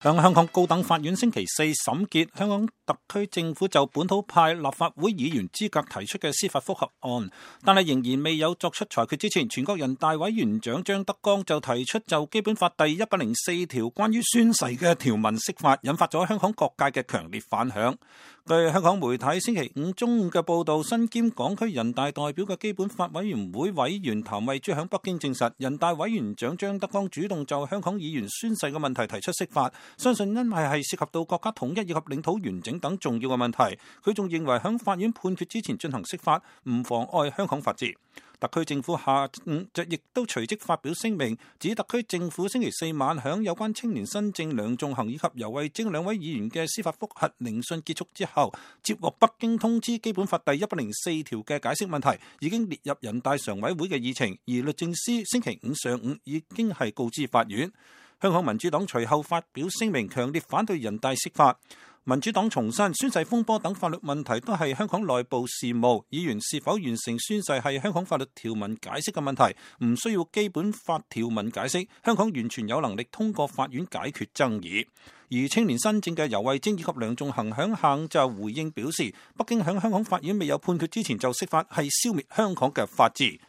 向香港高等法院星期四審結香港特區政府就本土派立法會議員資格提出嘅司法覆核案，但係仍然未有作出裁決之前，全國人大委員長張德江就提出就基本法第104條關於宣誓嘅條文釋法，引發咗香港各界嘅強烈反響。據香港媒體星期五中午嘅報道，身兼港區人大代表嘅基本法委員會委員譚惠珠響北京證實，人大委員長張德江主動就香港議員宣誓嘅問題提出釋法，相信因為係涉及到國家統一以及領土完整等重要嘅問題。佢仲認為響法院判決之前進行釋法唔妨礙香港法治。特區政府下午就亦都隨即發表聲明，指特區政府星期四晚響有關青年新政梁頌恆以及游蕙禎兩位議員嘅司法覆核聆訊結束之後，接獲北京通知基本法第104條嘅解釋問題已經列入人大常委會嘅議程，而律政司星期五上午已經係告知法院。香港民主黨隨後發表聲明，強烈反對人大釋法。民主黨重申宣誓風波等法律問題都係香港內部事務，議員是否完成宣誓係香港法律條文解釋嘅問題，唔需要基本法條文解釋，香港完全有能力通過法院解決爭議。而青年新政嘅游蕙禎以及梁頌恆響下午就回應表示，北京響香港法院未有判決之前就釋法係消滅香港嘅法治。